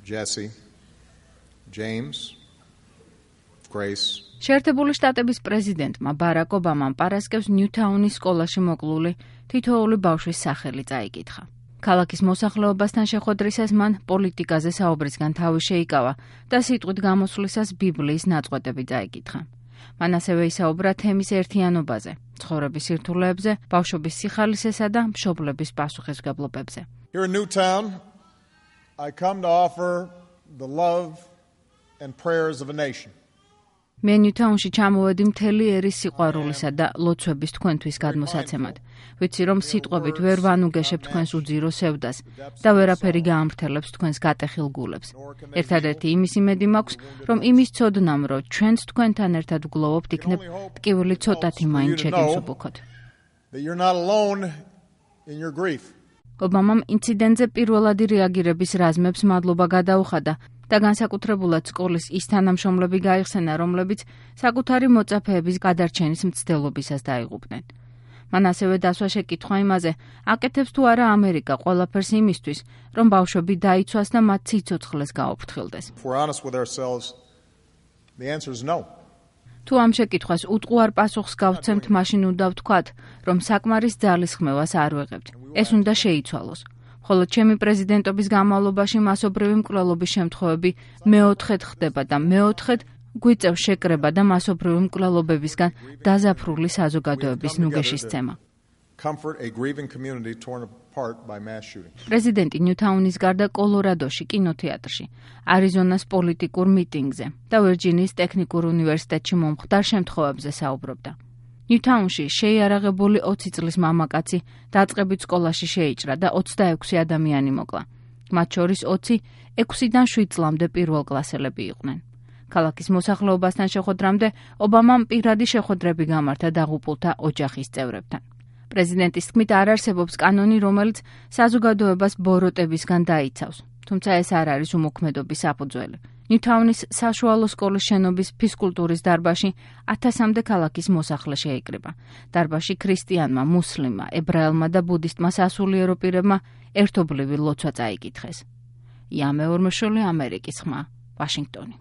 Jesse, James, Grace. შეერთებული შტატების პრეზიდენტმა ბარაკ ობამამ პარასკევს ნიუთაუნის სკოლაში მოკლული თითოეული ბავშვის სახელი წაიკითხა. ქალაქის მოსახლეობასთან შეხვედრისას მან პოლიტიკაზე საუბრისგან თავი შეიკავა და სიტყვით გამოსვლისას ბიბლიის ნაწყვეტები წაიკითხა. მან ასევე ისაუბრა თემის ერთიანობაზე, ცხოვრების სირთულეებზე, ბავშვობის სიხალისესა და მშობლების პასუხისმგებლობებზე. Here in Newtown, I come to offer the love and prayers of a nation. მე ნიუთაუნში ჩამოვედი მთელი ერის სიყვარულისა და ლოცვების თქვენთვის გადმოსაცემად. ვიცი, რომ სიტყვებით ვერ ვანუგეშებ თქვენს უძირო სევდას და ვერაფერი გაამრთელებს თქვენს გატეხილ გულებს. ერთადერთი იმის იმედი მაქვს, რომ იმის ცოდნამ, რომ ჩვენც თქვენთან ერთად ვგლოვობთ, იქნებ ტკივილი ცოტათი მაინც შეგიმსუბუქოთ. ობამამ ინციდენტზე პირველადი რეაგირების რაზმებს მადლობა გადაუხადა და განსაკუთრებულად სკოლის ის თანამშრომლები გაიხსენა, რომლებიც საკუთარი მოწაფეების გადარჩენის მცდელობისას დაიღუპნენ. მან ასევე დასვა შეკითხვა იმაზე, აკეთებს თუ არა ამერიკა ყველაფერს იმისთვის, რომ ბავშვები დაიცვას და მათ სიცოცხლეს გაუფრთხილდეს. თუ ამ შეკითხვას უტყუარ პასუხს გავცემთ, მაშინ უნდა ვთქვათ, რომ საკმარის ძალის ხმევას არ ვეღებთ. ეს უნდა შეიცვალოს. ხოლო ჩემი პრეზიდენტობის განმავლობაში მასობრივი მკვლელობის შემთხვევები მეოთხედ ხდება და მეოთხედ გვიწევს შეკრება და მასობრივი მკვლელობებისგან დაზაფრული საზოგადოების ნუგეშისცემა. პრეზიდენტი ნიუთაუნის გარდა კოლორადოში, კინოთეატრში, არიზონას პოლიტიკურ მიტინგზე და ვირჯინიის ტექნიკურ უნივერსიტეტში მომხდარ შემთხვევებზე საუბრობდა. ნიუთაუნში შეიარაღებული 20 წლის მამაკაცი დაწყებით სკოლაში შეიჭრა და 26 ადამიანი მოკლა. მათ შორის 20 6-დან 7 წლამდე პირველკლასელები იყვნენ. ქალაქის მოსახლეობასთან შეხვედრამდე ობამამ პირადი შეხვედრები გამართა დაღუპულთა ოჯახის წევრებთან. პრეზიდენტის თქმით არ არსებობს კანონი, რომელიც საზოგადოებას ბოროტებისგან დაიცავს, თუმცა ეს არ არის უმოქმედობის საფუძველი. ნიუთაუნის საშუალო სკოლის შენობის ფიზკულტურის დარბაზში 1000-მდე ქალაქის მოსახლე შეიკრიბა. დარბაზში ქრისტიანმა, მუსლიმმა, ებრაელმა და ბუდისტმა სასულიერო პირებმა ერთობლივი ლოცვა წაიკითხეს. იამე ორმოშოლი, ამერიკის ხმა, ვაშინგტონი.